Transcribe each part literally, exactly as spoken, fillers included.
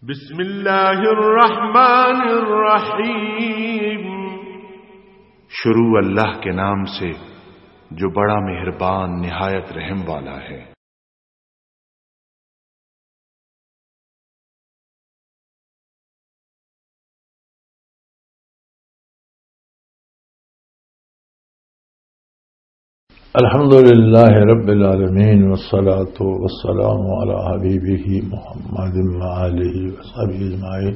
بسم اللہ الرحمن الرحیم۔ شروع اللہ کے نام سے جو بڑا مہربان نہایت رحم والا ہے۔ الحمد لله رب العالمين، والصلاة والسلام على حبيبه محمد وآله وصحبه أجمعين.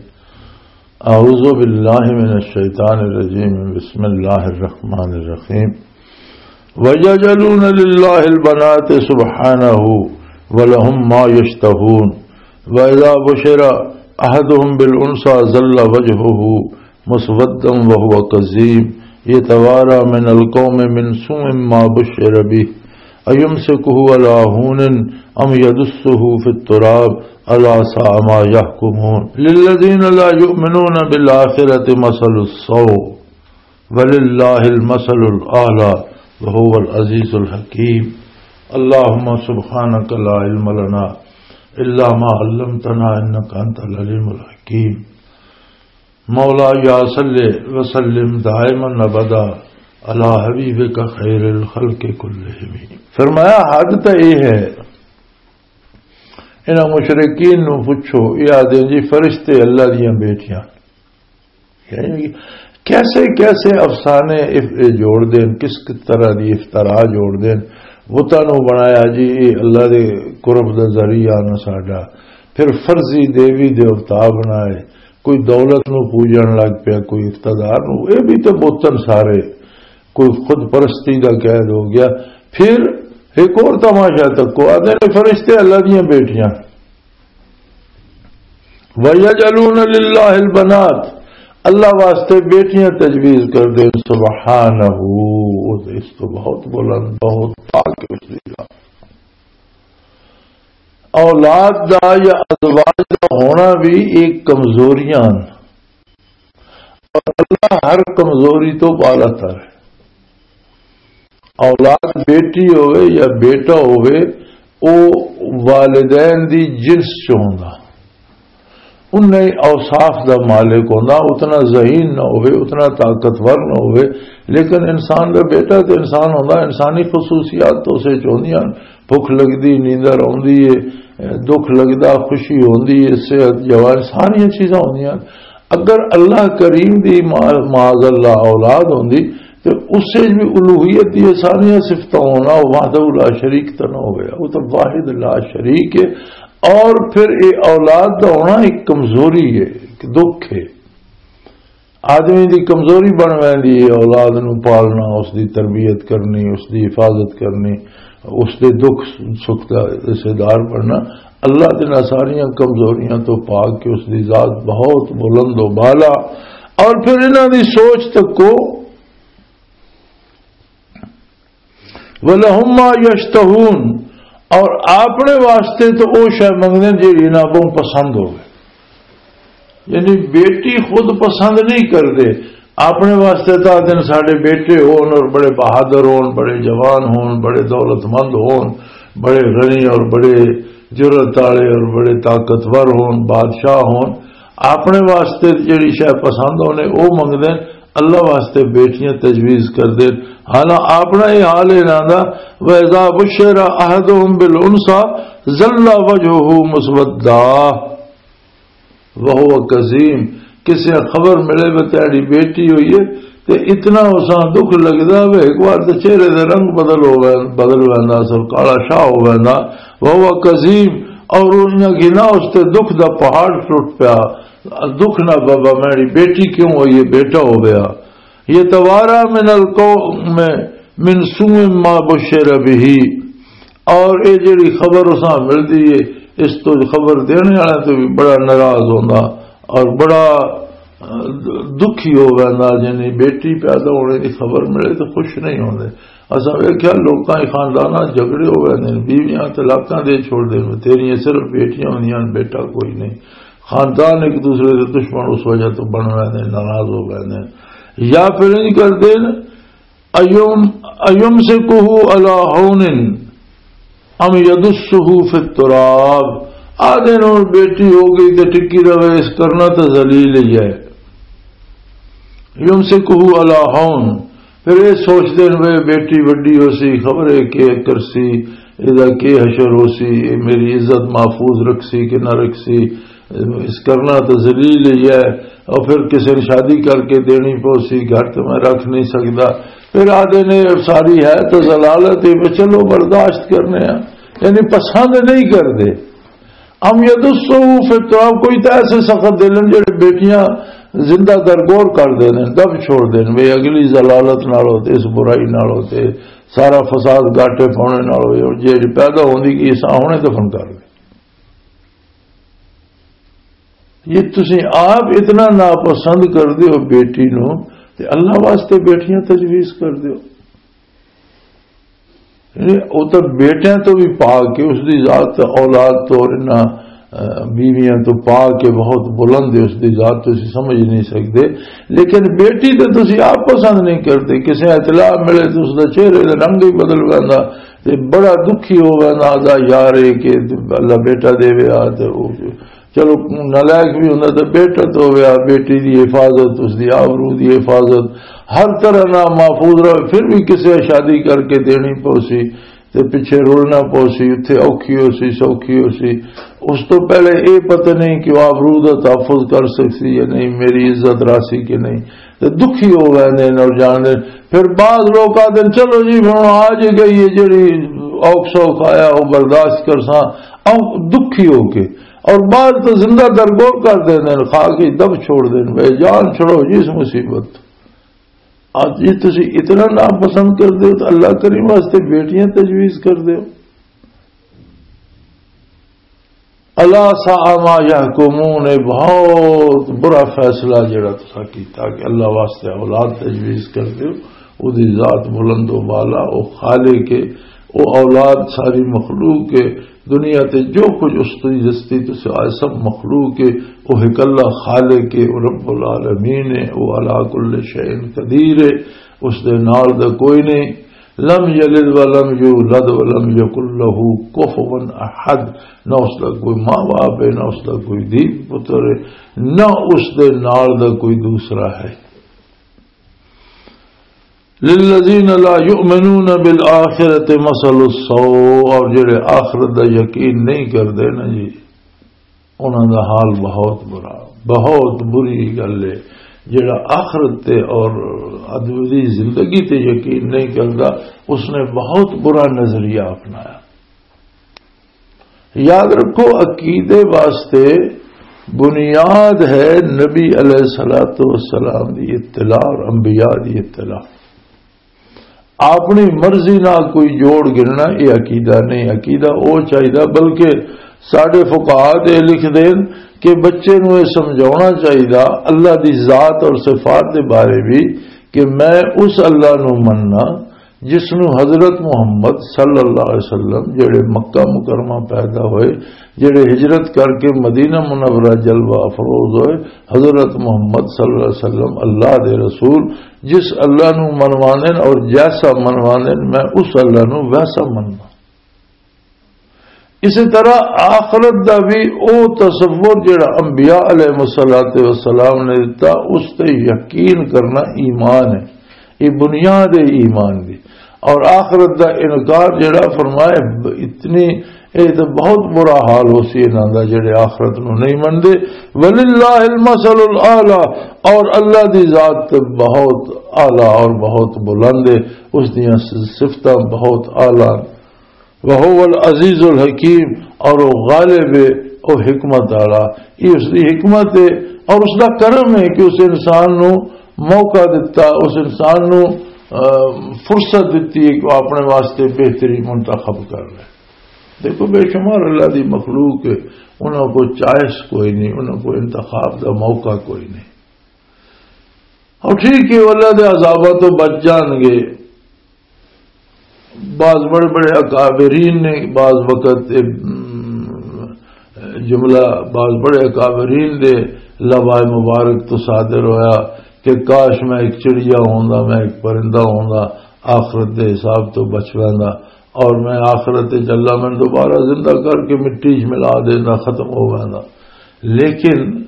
أعوذ بالله من الشيطان الرجيم. بسم الله الرحمن الرحيم. ويجعلون لله البنات سبحانه ولهم ما يشتهون. وإذا بشر أحدهم بالأنثى ظل وجهه مسودا وهو كظيم يتوارى من القوم من سوء ما بشر به أيمسكه على هون أم يدسه في التراب ألا ساء ما يحكمون. للذين لا يؤمنون بالآخرة مثل السوء ولله المثل الأعلى وهو العزيز الحكيم. اللهم سبحانك لا علم لنا إلا ما علمتنا إنك أنت العليم الحكيم. مولا یا صلی وسلم دائما ابدا علی حبیبک خیر الخلق کلہم۔ فرمایا، حد تے یہ ہے، انہاں مشرکین نو پوچھو، یہ آدھے جی فرشتے اللہ دیاں بیٹیاں۔ یعنی کیسے کیسے افسانے اف-، اے جوڑ دین، کس طرح دی افترا جوڑ دین، بتاں نو بنایا جی، اے اللہ دے قرب دا ذریعہ نہ ساڈا۔ پھر فرضی دیوی دیوتا بنائے، کوئی دولت نو پوجن لگ پیا، کوئی اقتدار نو، اے بھی تے بتن سارے، کوئی خود پرستی دا قید ہو گیا۔ پھر ایک اور تماشا تکو، آدھے نے فرشتے اللہ دیاں بیٹیاں۔ وَيَجْعَلُونَ لِلَّهِ الْبَنَاتِ، اللہ واسطے بیٹیاں تجویز کر دے۔ سبحانہ، وہ اس تو بہت بلند، بہت پاک ہے اس دی ذات۔ اولاد دا یا ازواج دا ہونا بھی ایک کمزوریاں، اور اللہ ہر کمزوری تو بالا تر ہے۔ اولاد بیٹی ہوئے یا بیٹا ہوئے، او والدین دی جنس چ ہوندا، انہیں اوصاف دا مالک ہوندا۔ اتنا ذہین نہ ہوئے، اتنا طاقتور نہ ہوئے، لیکن انسان دا بیٹا تے انسان ہوندا، انسانی خصوصیات تو اسے چ ہوندیاں۔ بھکھ لگدی، نیندر آوندی ہے، دکھ لگدا، خوشی ہوندی ہے، صحت، جوان، ساریاں چیزاں ہوندیاں۔ اگر اللہ کریم دی ما-، معاذ اللہ اولاد ہوندی، تے اس وچ بھی الوہیت دی ساریاں صفتاں ہونا، وحدہ لا شریک تے نہ ہویا، وہ تو واحد لا شریک ہے۔ اور پھر اے اولاد دا ہونا ایک کمزوری ہے، ایک دکھ ہے۔ آدمی دی کمزوری بن ویندی ہے اولاد نو پالنا، اس دی تربیت کرنی، اس دی حفاظت کرنی، اس دے دکھ سکھ دا حصے دار بننا۔ اللہ دے نال ساریاں کمزوریاں تو پاک کہ اس دی ذات بہت بلند و بالا۔ اور پھر انہاں دی سوچ تکو، وَلَهُم مَّا يَشْتَهُونَ، اور اپنے واسطے تو او شے منگدے جیڑی انہاں کو پسند ہوے۔ یعنی بیٹی خود پسند نہیں کردے، اپنے واسطے تو آدھے ساڈے بیٹے ہون اور بڑے بہادر ہون، بڑے جوان ہون، بڑے دولت مند ہون، بڑے غنی اور بڑے جرأت والے اور بڑے طاقتور ہون، بادشاہ ہون۔ اپنے واسطے جڑی شے پسند ہونے، او منگدے۔ اللہ واسطے بیٹیاں تجویز کردے۔ حالانکہ اپنا یہ حال ہے انہاں دا، وَإِذَا بُشِّرَ أَحَدُهُم بِالْأُنثَىٰ ظَلَّ وَجْهُهُ مُسْوَدًّا وَهُوَ كَظِيمٌ۔ کسے خبر ملے وے تیری بیٹی ہوئی ہے، تے اتنا اساں دکھ لگدا وے، ایک بار تے چہرے دے رنگ بدل ہو وین-، بدل ویندا، سر کالا شاہ ہو ویندا۔ وَهُوَ كَظِيمٌ، اور انہاں گنا اس تے دکھ دا پہاڑ ٹوٹ پیا۔ دکھ نہ بابا، میری بیٹی کیوں ہوئی ہے، بیٹا ہو گیا۔ يَتَوَارَىٰ مِنَ الْقَوْمِ مِنْ سُوءِ مَا بُشِّرَ بِهِ، اور اے جڑی خبر اساں ملدی ہے، اس تو خبر دینے والا تو بھی بڑا ناراض ہوندا اور بڑا، آ، دکھی ہو ویندا۔ یعنی بیٹی پیدا ہونے دی خبر ملے تو خوش نہیں ہوندے۔ اساں ویکھیا لوکاں دے خانداناں جھگڑے ہو ویندے نے، بیویاں طلاقاں دے چھوڑ دے نے، تیریاں صرف بیٹیاں ہوندیاں نے، بیٹا کوئی نہیں۔ خاندان ایک دوسرے دے دشمن اس وجہ تو بن ویندے نے، ناراض ہو ویندے نے۔ یا پھر انج کردے نے، ایم، ایمسکہ علی ہون ام یدسہ فی التراب، آدھے نوں بیٹی ہو گئی تے ٹکی رہے، اس کرنا تے ذلیل ہی ہے۔ یمسکہ علی ہون۔ پھر یہ سوچتے ہیں، وہ بیٹی وڈی ہو سی، خبر ہے کہ کرسی، ادا کے حشر ہو سی، یہ میری عزت محفوظ رکھ سی کہ نہ رکھ سی، اس کرنا تو ذلیل ہی ہے۔ اور پھر کسی نے شادی کر کے دینی پو سی، گھر تو میں رکھ نہیں سکتا۔ پھر آدھے نے ساری ہے تو ذلالت ہے، بس چلو برداشت کرنے ہیں، یعنی پسند نہیں کرتے۔ ام یدسہ فی التراب، کوئی تو ایسے سخت دل ہیں جڑے بیٹیاں زندہ درگور کر دے نے، دب چھوڑ دے نے، وے اگلی ذلالت نال ہوتے، اس برائی نال ہوتے، سارا فساد گاٹے پاؤنے نال ہوئے، اور جیڑی پیدا ہوندی کی اساں ہنے دفن کر دے۔ یہ تسی آپ اتنا ناپسند کر دیو بیٹی نو، تے اللہ واسطے بیٹیاں تجویز کر دیو۔ یعنی، وہ تو بیٹیاں تو بھی پاک ہے، اس دی ذات اولاد تو اور انہاں، اہ، بیویاں تو پاک ہے، بہت بلند ہے، اس دی ذات تو اسی سمجھ نہیں سکتے۔ لیکن بیٹی تو تسی آپ پسند نہیں کرتے، کسے اطلاع ملے تو اس دا چہرے دا رنگ ہی بدل ویندا، تے بڑا دکھی ہو ویندا، آہدا، "یار، اے کہ اللہ بیٹا دے وے آ تے وہ چلو، نالائق بھی ہوندا تے بیٹا تو ہویا، بیٹی دی حفاظت، اس دی آبرو دی حفاظت، ہر طرح نہ محفوظ رہے، پھر بھی کسے شادی کر کے دینی پوسی تے پچھے رولنا پوسی، اتھے اوکھی ہو سی، سوکھی ہو سی۔ اس تو پہلے اے پتہ نہیں کہ وہ آبرو دا تحفظ کر سکسی یا نہیں، میری عزت راسی کہ نہیں، تے دکھی ہو گئے نے اور جان دے۔ پھر بعض لوگ آتے ہیں، "چلو جی، ہن آ جی گئی ہے، جڑی اوکھ سوکھ آیا، وہ برداشت کرساں۔" او دکھی ہو کے، اور بعض تو زندہ درگور کر دیندے نے، کھا کے دب چھوڑ دیندے، "بھائی جان چھڑو جی اس مصیبت۔" آج جی تسی اتنا ناپسند کر دیو تو اللہ کریم واسطے بیٹیاں تجویز کر دیو۔ الا ساء ما یحکمون، اے بہت برا فیصلہ جڑا تسا کیتا کہ اللہ واسطے اولاد تجویز کر دیو۔ او دی ذات بلند و بالا، او خالق ہے، او اولاد ساری مخلوق ہے، دنیا تے جو کچھ اس دی دستی تو سوائے سب مخلوق ہے، وہ اکلا خالق ہے، وہ رب العالمین ہے، وہ علی کل شیء قدیر ہے، اس دے نال دا کوئی نہیں۔ لم یلد ولم یولد ولم یکن لہ کفوا احد، نہ اس دا کوئی ماں باپ ہے، نہ اس دا کوئی دھی پتر ہے، نہ اس دے نال دا کوئی دوسرا ہے۔ للذین لا یؤمنون بالآخرۃ مثل السوء، اور جڑے آخرت دا یقین نہیں کردے نا جی، انہاں دا حال بہت برا، بہت بری گل ہے۔ جڑا آخرت تے اور ادبی زندگی تے یقین نہیں کردا، اس نے بہت برا نظریہ اپنایا۔ یاد رکھو، عقیدے واسطے بنیاد ہے نبی علیہ الصلوۃ والسلام دی اطلاع اور انبیاء دی اطلاع۔ اپنی مرضی نال کوئی جوڑ گننا، یہ عقیدہ نہیں۔ عقیدہ او چاہیدا، بلکہ ساڈے فقہا تے لکھ دین کہ بچے نوں یہ سمجھاونا چاہیدا اللہ دی ذات اور صفات دے بارے بھی، کہ میں اس اللہ نوں مننا جس نوں حضرت محمد صلی اللہ علیہ وسلم، جڑے مکہ مکرمہ پیدا ہوئے، جڑے ہجرت کر کے مدینہ منورہ جلوہ افروز ہوئے، حضرت محمد صلی اللہ علیہ وسلم اللہ دے رسول، جس اللہ نوں منواندن اور جیسا منواندن، میں اس اللہ نوں ویسا مننا۔ اسی طرح آخرت دا بھی او تصور جڑا انبیاء علیہ الصلوۃ والسلام نے دتا، اس تے یقین کرنا ایمان ہے۔ یہ بنیاد ہے ایمان دی۔ اور آخرت دا انکار جڑا فرمائے، اتنی، یہ تو بہت برا حال ہو سی انہاں دا جڑے آخرت نو نہیں مندے۔ وللہ المثل الاعلی، اور اللہ دی ذات تے بہت اعلیٰ اور بہت بلند ہے، اس دیاں صفتاں بہت اعلیٰ۔ وَهُوَ الْعَزِيزُ الْحَكِيمُ، اور وہ غالب ہے، وہ حکمت والا۔ یہ اس دی حکمت ہے اور اس دا کرم ہے کہ اس انسان نو موقع دتا، اس انسان نو، آ، فرصت دتی ہے کہ وہ اپنے واسطے بہتری منتخب کر لے۔ دیکھو، بے شمار اللہ دی مخلوق ہے، انہاں کو چوائس کوئی نہیں، انہاں کو انتخاب دا موقع کوئی نہیں۔ اور ٹھیک ہے، وہ اللہ دے عذاباں تو بچ جان گے۔ بعض بڑے بڑے اکابرین نے بعض وقت، ام، جملہ بعض بڑے اکابرین دے لوائے مبارک تو صادر ہویا کہ کاش میں ایک چڑیا ہوندا، میں ایک پرندہ ہوندا، آخرت دے حساب تو بچ ویندا۔ اور میں آخرت وچ اللہ میں دوبارہ زندہ کر کے مٹی وچ ملا دینا، ختم ہو ویندا۔ لیکن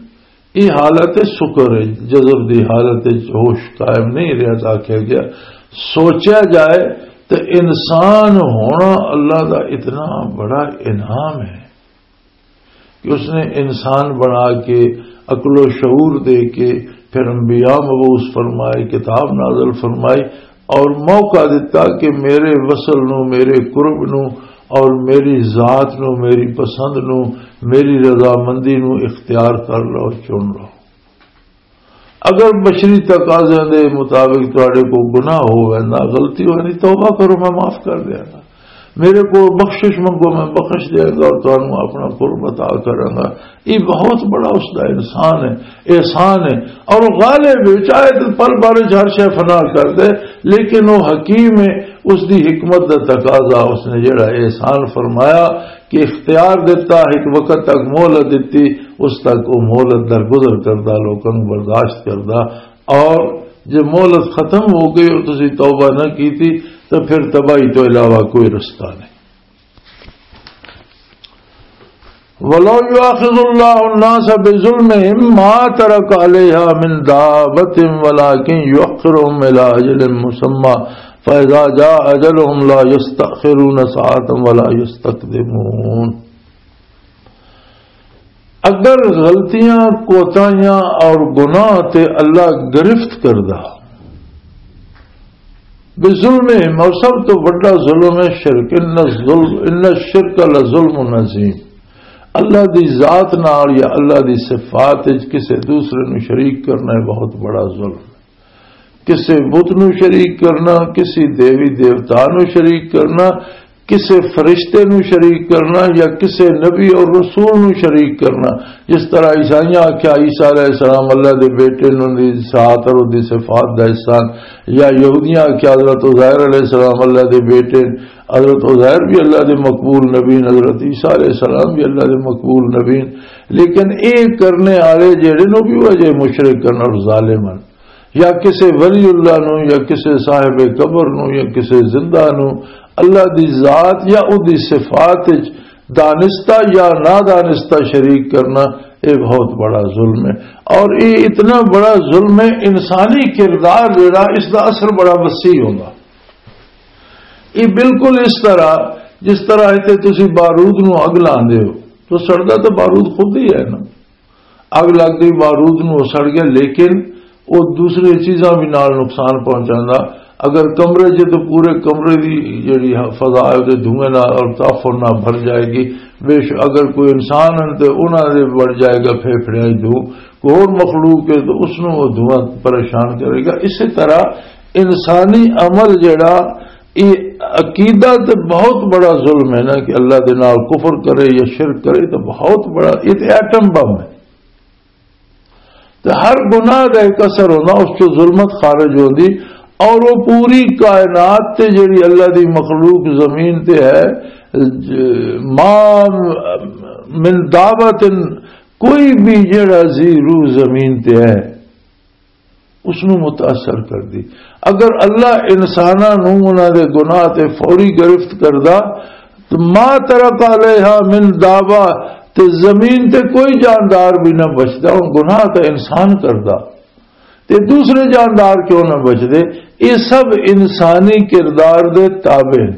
یہ حالت شکر ہے، جذب دی حالت وچ ہوش قائم نہیں رہتا۔ آخیا گیا، سوچا جائے تو انسان ہونا اللہ دا اتنا بڑا انعام ہے کہ اس نے انسان بنا کے، عقل و شعور دے کے، پھر انبیاء مبعوث فرمائے، کتاب نازل فرمائی اور موقع دیتا کہ میرے وصل نو، میرے قرب نو اور میری ذات نو، میری پسند نو، میری رضامندی نو اختیار کر لو، چن لو۔ اگر بشری تقاضیاں دے مطابق تواڈے کو گناہ ہووے نا، غلطی ہووے نا، توبہ کرو، میں معاف کر دیاں گا۔ میرے کو بخشش منگو، میں بخش دیاں گا اور تانوں اپنا قرب عطا کراں گا۔ یہ بہت بڑا اس دا انسان ہے، احسان ہے۔ اور غالب ہے، چاہے تو پل بھر چ ہر شے فنا کر دے، لیکن وہ حکیم ہے، اس دی حکمت دا تقاضا، اس نے جڑا احسان فرمایا، کہ اختیار دیتا، ایک وقت تک مہلت دیتی، اس تک وہ مہلت درگزر کردا، لوکاں نوں برداشت کردا، اور جے مہلت ختم ہو گئی اور تسی توبہ نہ کیتی، تو پھر تباہی تو علاوہ کوئی رستہ نہیں۔ ولو يؤاخذ الله الناس بظلمهم ما ترك عليها من دابة ولكن يؤخرهم إلى أجل مسمى فإذا جاء أجلهم لا يستأخرون ساعة ولا يستقدمون۔ اگر غلطیاں، کوتاہیاں اور گناہ تے اللہ گرفت کردا، بظلم، اور سب تو بڑا ظلم ہے شرک، ان الظلم، ان الشرک لظلم عظیم۔ اللہ دی ذات نال یا اللہ دی صفات وچ کسے دوسرے نو شریک کرنا ہے بہت بڑا ظلم۔ کسے بت نو شریک کرنا، کسی دیوی دیوتا نو شریک کرنا، کسے فرشتے نو شریک کرنا یا کسے نبی اور رسول نو شریک کرنا۔ جس طرح عیسائیاں آکھیا عیسیٰ علیہ السلام اللہ دے بیٹے نو دی ذات اور دی صفات دا حصہ، یا یہودیاں آکھیا حضرت عزیر علیہ السلام اللہ دے بیٹے، حضرت عزیر بھی اللہ دے مقبول نبی، حضرت عیسیٰ علیہ السلام بھی اللہ دے مقبول نبی۔ لیکن اے کرنے والے جڑے نو بھی وجہ مشرک ہن اور ظالم ہن۔ یا کسے ولی اللہ نو، یا کسے صاحب قبر نو، یا کسے زندہ نو، اللہ دی ذات یا او دی صفات وچ دانستہ یا نادانستہ شریک کرنا، اے بہت بڑا ظلم ہے۔ اور اے اتنا بڑا ظلم ہے، انسانی کردار جڑا، اس دا اثر بڑا وسیع ہوندا۔ یہ بالکل اس طرح، جس طرح تے تسی بارود نو اگ لاندے ہو، تو سڑدا تو بارود خود ہی ہے نا۔ اگ لگ گئی، بارود نو سڑ گیا، لیکن وہ دوسری چیزاں بھی نال نقصان پہنچاندا۔ اگر کمرے چ تو پورے کمرے دی جڑی فضا ہے، تے دھوئیں نال اور تافر نال بھر جائے گی۔ بے شک اگر کوئی انسان ہے تو انہاں دے بڑھ جائے گا پھیپھڑیاں چ دھواں، کوئی اور مخلوق ہے تو اس نو وہ دھواں پریشان کرے گا۔ اسی طرح انسانی عمل جڑا، یہ عقیدہ تے بہت بڑا ظلم ہے نا، کہ اللہ دے نال کفر کرے یا شرک کرے، تو بہت بڑا، یہ تے ایٹم بم ہے۔ تے ہر گناہ دا ایک اثر ہونا، اس چوں ظلمت خارج ہوندی، اور وہ پوری کائنات تے جڑی اللہ دی مخلوق زمین تے ہے، ج-، ما من دابت، کوئی بھی جڑا ذی روح زمین تے ہے، اس نو متاثر کر دی۔ اگر اللہ انساناں نو انہاں دے گناہ تے فوری گرفت کردا، تو ما ترک علیہا من دابہ، تے زمین تے کوئی جاندار بھی نہ بچدا۔ ہن گناہ تے انسان کردا، تے دوسرے جاندار کیوں نہ بچدے؟ یہ سب انسانی کردار دے تابع نے۔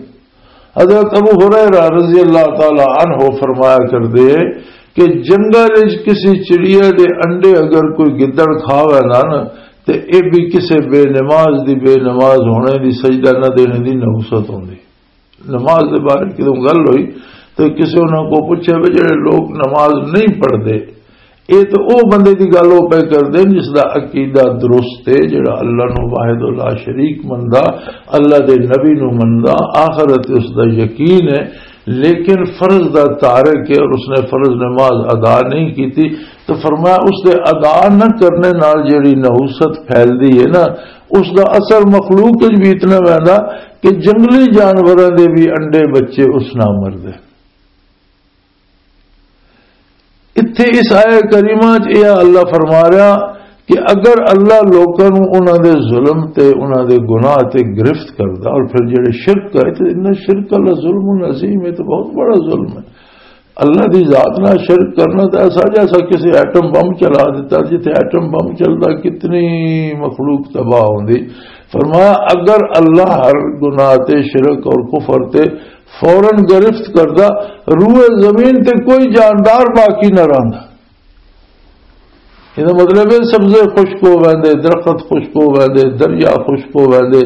حضرت ابو ہریرہ رضی اللہ تعالی عنہ فرمایا کردے کہ جنگل وچ کسی چڑیا دے انڈے اگر کوئی گدڑ کھا ویندا نا، تے اے بھی کسے بے نماز دی، بے نماز ہونے دی، سجدہ نہ دینے دی نحوست ہوندی۔ نماز دے بارے کدوں گل ہوئی تے کسے انہاں کو پوچھے، "وے جڑے لوگ نماز نہیں پڑھدے، اے تے او بندے دی گل او پے کردے جس دا عقیدہ درست ہے، جڑا اللہ نو واحد لا شریک مندا، اللہ دے نبی نو مندا، آخرت اس دا یقین ہے، لیکن فرض دا تارک ہے اور اس نے فرض نماز ادا نہیں کیتی۔" تو فرمایا، اس دے ادا نہ کرنے نال جڑی نحوست پھیلدی ہے نا، اس دا اثر مخلوق وچ بھی اتنا ویندا کہ جنگلی جانوراں دے بھی انڈے بچے اس نہ مردے۔ اتھے اس آیہ کریمہ چ یہ اللہ فرما رہا کہ اگر اللہ لوکاں نوں انہاں دے ظلم تے، انہاں دے گناہ تے گرفت کردا، اور پھر جڑے شرک کرے، تے ان شرک اللہ ظلم عظیم ہے، تو بہت بڑا ظلم ہے۔ اللہ دی ذات نال شرک کرنا تے ایسا جیسا کسی ایٹم بم چلا دیتا، جتھے ایٹم بم چلدا، کتنی مخلوق تباہ ہوندی۔ فرمایا، اگر اللہ ہر گناہ تے، شرک اور کفر تے فوراً گرفت کردا، روئے زمین تے کوئی جاندار باقی نہ رہندا۔ یہ مطلب ہے، سبزے خشک ہو ویندے، درخت خشک ہو ویندے، دریا خشک ہو ویندے،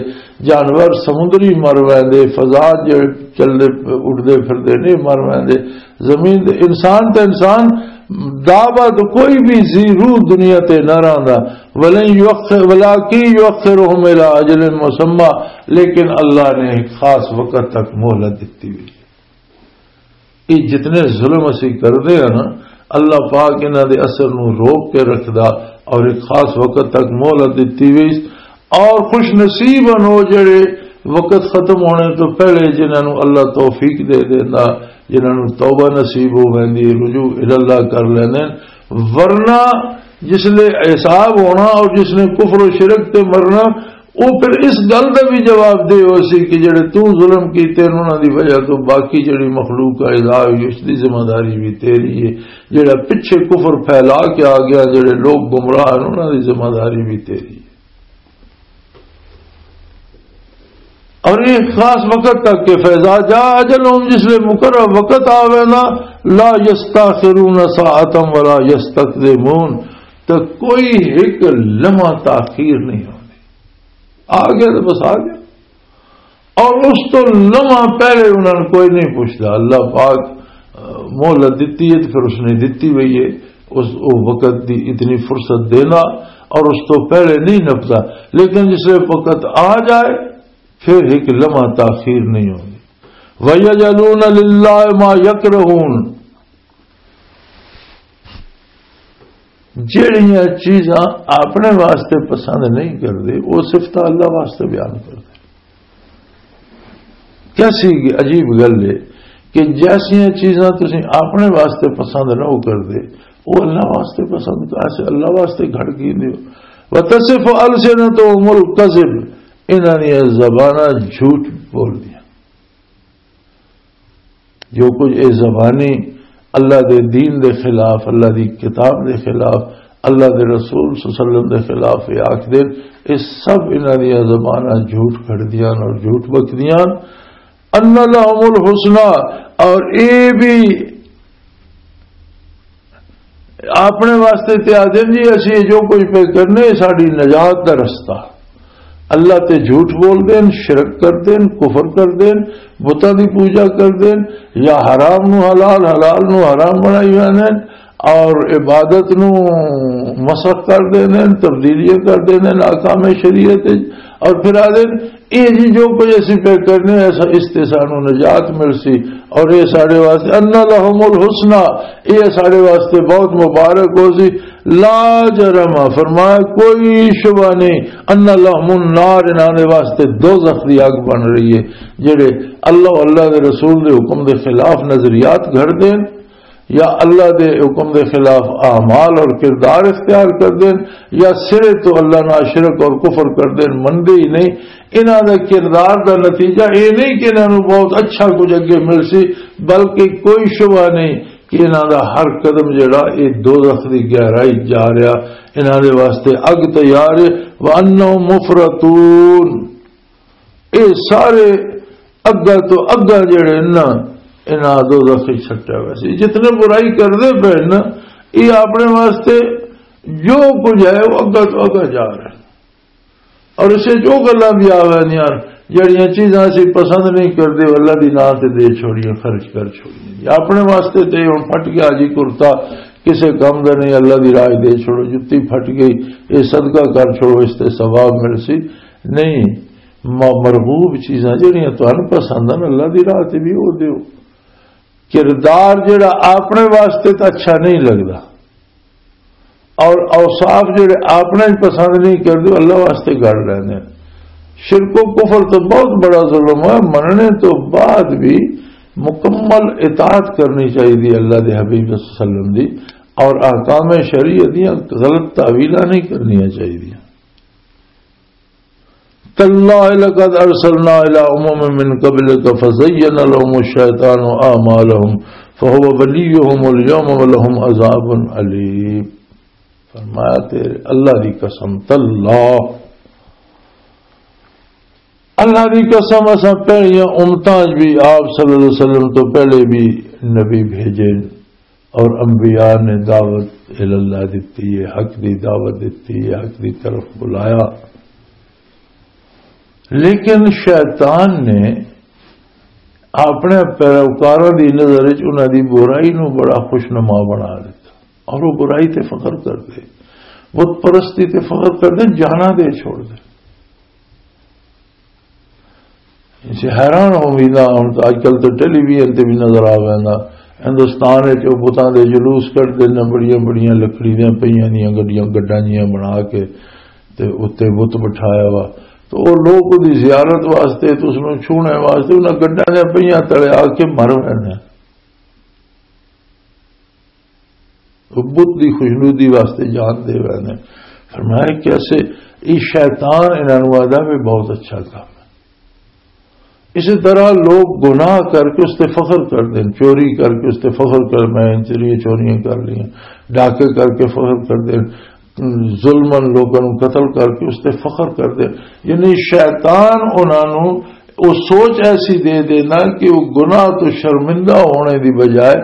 جانور سمندری مر ویندے، فضا جے چلدے اڈدے پھردے نہیں مر ویندے، زمین دے انسان تے انسان، دابا تو کوئی بھی زی روح دنیا تے نہ رہندا۔ ولن یؤخر، ولاکی یؤخرہم الی اجل مسمی، لیکن اللہ نے ایک خاص وقت تک مہلت دتی ہوئی۔ یہ جتنے ظلم اسی کردے ہیں نا، اللہ پاک انہاں دے اثر نو روک کے رکھدا اور ایک خاص وقت تک مہلت دتی ہوئی۔ اور خوش نصیب ہن وہ جڑے وقت ختم ہونے تو پہلے جنہاں نو اللہ توفیق دے دیندا، جنہاں نو توبہ نصیب ہو ویندی، رجوع الی اللہ کر لیندے۔ ورنہ جس لے حساب ہونا اور جس نے کفر و شرک تے مرنا، وہ پھر اس گل دا بھی جواب دے ہو سی کہ جڑے تو ظلم کیتے ہیں، انہاں دی وجہ تو باقی جڑی مخلوق پیدا ہوئی، اس دی ذمہ داری بھی تیری ہے۔ جڑا پچھے کفر پھیلا کے آ گیا، جڑے لوگ گمراہ ہیں، انہاں دی ذمہ داری بھی تیری ہے۔ اور یہ خاص وقت تک کہ فیضا جا اجلہم، جس لے مقرر وقت آوے نا، لا یستاخرون ساعتا ولا یستقدمون، تو کوئی ایک لمحہ تاخیر نہیں ہونی۔ آ گیا تو بس آ گیا۔ اور اس تو لمحہ پہلے انہوں نے کوئی نہیں پوچھتا۔ اللہ پاک، آ، مہلت دیتی ہے تو پھر اس نے دیتی ہوئی ہے، اس، وہ وقت دی اتنی فرصت دینا، اور اس تو پہلے نہیں نپتا۔ لیکن جس وقت آ جائے، پھر ایک لمحہ تاخیر نہیں ہونی۔ وَيَجْعَلُونَ لِلَّهِ مَا يَكْرَهُونَ، جہڑیاں چیزاں اپنے واسطے پسند نہیں کردے، وہ صفت اللہ واسطے بیان کردے۔ کیسی عجیب گل ہے کہ جیسیاں چیزاں تسی اپنے واسطے پسند نہ ہو کردے، وہ اللہ واسطے پسند کر، ایسے اللہ واسطے گھڑ کی دیو۔ وَتَصِفُ أَلْسِنَتُهُمُ الْكَذِبَ، انہاں دیاں زباناں جھوٹ بول دیا۔ جو کچھ اے زبانی اللہ دے دین دے خلاف، اللہ دی کتاب دے خلاف، اللہ دے رسول صلی اللہ علیہ وسلم دے خلاف یہ آکھ دین، یہ سب انہاں دیاں زباناں جھوٹ کھڑدیاں اور جھوٹ بکدیاں۔ ان لہم الحسنی، اور اے بھی اپنے واسطے تے آدھے جی، اسی جو کچھ پہ کرنے، ساڈی نجات دا رستہ۔ اللہ تے جھوٹ بول دین، شرک کر دین، کفر کر دین، بتاں دی پوجا کر دین، یا حرام نو حلال، حلال نو حرام بنائی ہوئے نے، اور عبادت نو مسخ کر دین، تبدیلیاں کر دین احکام شریعت وچ، اور پھر آ دین، اے جی جو کچھ اسی پہ کرنے، ایسا اس تے سانو نجات مل سی، اور اے ساڈے واسطے، ان لہم الحسنی، اے ساڈے واسطے بہت مبارک ہو سی۔ لا جرم، فرمایا کوئی شبہ نہیں، ان لہم النار، انہاں دے واسطے دوزخ دی اگ بن رہی ہے۔ جڑے اللہ، اللہ دے رسول دے حکم دے خلاف نظریات گھڑ دین، یا اللہ دے حکم دے خلاف اعمال اور کردار اختیار کر دین، یا سرے تو اللہ نال شرک اور کفر کر دین، مندے ہی نہیں۔ انہاں دے کردار دا نتیجہ اے نہیں کہ انہاں نوں بہت اچھا کچھ اگے مل سی، بلکہ کوئی شبہ نہیں کہ انہاں دا ہر قدم جڑا، اے دوزخ دی گہرائی جا رہا، انہاں دے واسطے اگ تیار ہے۔ وَأَنَّهُمْ مُفْرَطُونَ، اے سارے اگا تو اگا جڑے نا، انہاں دوزخ وچ سٹیا ہویا سی۔ جتنے برائی کردے پے نا، یہ اپنے واسطے جو کچھ ہے، وہ اگا تو اگا جا رہے ہیں۔ اور اسے جو گلاں بھی آ ویندیاں، جڑیاں چیزاں اسی پسند نہیں کردے، وہ اللہ دی ناں تے دے چھوڑیاں، خرچ کر چھوڑیاں۔ یا اپنے واسطے تے ہن پھٹ گیا جی کرتا، کسے کم دا نہیں، اللہ دی راہ دے چھوڑو، جتی پھٹ گئی، یہ صدقہ کر چھوڑو، اس تے ثواب مل سی۔ نہیں، م-، مرغوب چیزاں جڑیاں تانوں پسند ہن، اللہ دی راہ تے بھی او دیو۔ کردار جڑا اپنے واسطے تے اچھا نہیں لگدا، اور اوصاف جڑے اپنے پسند نہیں کردے، اللہ واسطے گڑ لیندے۔ شرک و کفر تو بہت بڑا ظلم ہے، مننے تو بعد بھی مکمل اطاعت کرنی چاہیے اللہ دے حبیب صلی اللہ علیہ وسلم دی۔ اور احکام شریعت دیاں غلط تعویلاں نہیں کرنیاں چاہیے۔ تاللہ لقد ارسلنا الی امم من قبلک فزین لهم الشیطان اعمالهم فهو ولیهم الیوم ولهم عذاب علیم۔ فرمایا، تیرے اللہ دی قسم، تاللہ، اللہ دی قسم، اساں پہلیاں امتاں وچ بھی، آپ صلی اللہ علیہ وسلم تو پہلے بھی نبی بھیجے اور انبیاء نے دعوت اللہ دتی ہے، حق دی دعوت دتی ہے، حق دی طرف بلایا۔ لیکن شیطان نے اپنے پیروکاراں دی نظر وچ انہاں دی برائی نو بڑا خوشنما بنا دیتا، اور وہ برائی تے فخر کردے، بت پرستی تے فخر کردے، جانا دے چھوڑ دے۔ اسے حیران ہو ویندا، ہن تاں اج کل تے ٹیلی ویژن تے بھی نظر آ ویندا۔ ہندوستان وچ او بتاں دے جلوس کڈھدے نے، بڑیاں بڑیاں لکڑی دیاں پئیاں دیاں گڈیاں، گڈاں جیاں بنا کے تے اُتے بت بٹھایا وا۔ تو او لوگ اُدی زیارت واسطے تے اس نوں چھونے واسطے انہاں گڈاں دیاں پئیاں تلے آ کے مر ویندے۔ وہ بت دی خوشنودی واسطے جان دے رہے ہیں۔ فرمایا کہ ایسے، یہ شیطان انہاں نوں آہدا بھی بہت اچھا کام ہے۔ اسی طرح لوگ گناہ کر کے اس تے فخر کر دیں، چوری کر کے اس تے فخر کر، میں ان چوریاں چوریاں کر لیا، ڈاکے کر کے فخر کر دیں، ظلمن لوگوں نوں قتل کر کے اس تے فخر کر دیں۔ یعنی شیطان انہاں نوں وہ سوچ ایسی دے دینا کہ وہ گناہ تو شرمندہ ہونے دی بجائے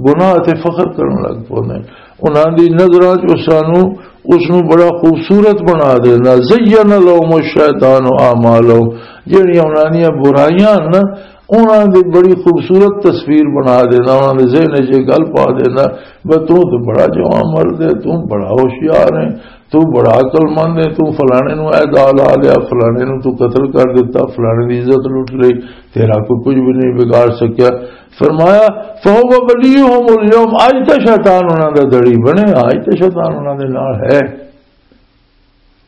گناہ تے فخر کرن لگ پوندے۔ انہاں دی نظراں چ اساں نوں، اس نوں بڑا خوبصورت بنا دینا۔ زین لهم الشیطان اعمالهم، جڑیاں انہاں دیاں برائیاں ہن نا، انہاں دی بڑی خوبصورت تصویر بنا دینا، انہاں دے ذہن وچ یہ گل پا دینا، بس تو تے بڑا جوان مرد ہے، تو بڑا ہوشیار ہے، تو بڑا عقل مند ہے، تو فلانے نو اے دا لا لیا، فلانے نو تو قتل کر دیتا، فلانے دی عزت لٹ لئی، تیرا کوئی کچھ بھی نہیں بگاڑ سکیا۔ فرمایا، فهو ولیهم الیوم، اج تے شیطان انہاں دا دڑی بنے، اج تے شیطان انہاں دے نال ہے۔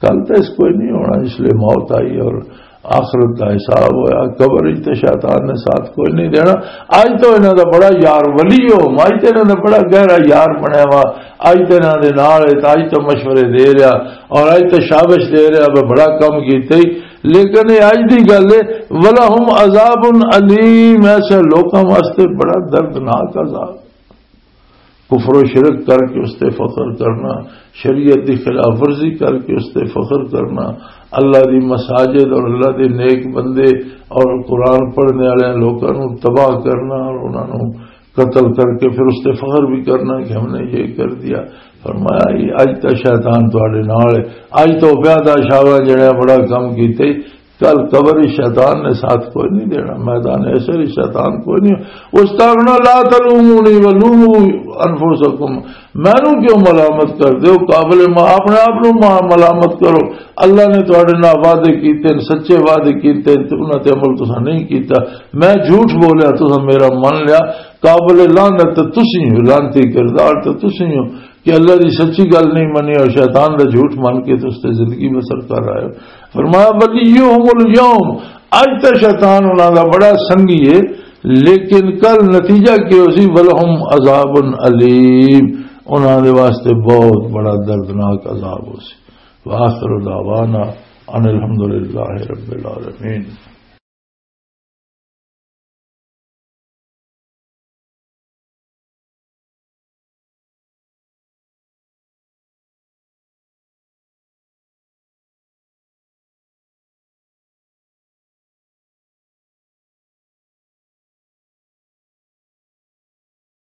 کل تے اس کوئی نہیں ہونا، اس لیے موت آئی اور آخرت دا حساب ہویا، قبر وچ تے شیطان نے ساتھ کوئی نہیں دینا۔ اج تو انہاں دا بڑا یار ولی ہو، اج تے انہاں دا بڑا گہرا یار بنیا وا، اج تے انہاں دے نال ہے، تے اج تو مشورے دے رہا اور اج تو شابش دے رہا، میں بڑا کم کیتے ہی۔ لیکن یہ اج دی گل ہے، ولہم عذاب علیم، ایسے لوکاں واسطے بڑا دردناک عذاب۔ کفر و شرک کر کے اس تے فخر کرنا، شریعت دی خلاف ورزی کر کے اس تے فخر کرنا، اللہ دی مساجد اور اللہ دے نیک بندے اور قرآن پڑھنے والے لوکاں نوں تباہ کرنا اور انہاں نوں قتل کر کے پھر اس تے فخر بھی کرنا کہ ہم نے یہ کر دیا۔ فرمایا، یہ اج تا شیطان تواڈے نال ہے، اج تو پیادا شاوا جڑا بڑا کم کیتے، کل قبر ہی شیطان نے ساتھ کوئی نہیں دینا، میدان حشر ہی شیطان کوئی نہیں۔ اس طرح نہ، لا تلومونی ولوموا انفسکم، مینوں کیوں ملامت کر دیو؟ قابل ما، اپنے آپ نوں ما، ملامت کرو۔ اللہ نے تواڈے نال وعدے کیتے نے، سچے وعدے کیتے نے، تے انہاں تے عمل تساں نہیں کیتا۔ میں جھوٹ بولیا، تساں میرا من لیا۔ قابل لعنت تے تسی ہو، لعنتی کردار تے تسی ہو کہ اللہ دی سچی گل نہیں منی اور شیطان دا جھوٹ من کے تے اس تے زندگی بسر کر رہے ہو۔ فرمایا، ولیہم الیوم، اج تے شیطان انہاں دا بڑا سنگی ہے، لیکن کل نتیجہ کی ہو سی؟ ولہم عذاب علیم، انہاں دے واسطے بہت بڑا دردناک عذاب ہو سی۔ وآخر دعوانا ان الحمدللہ رب العالمین۔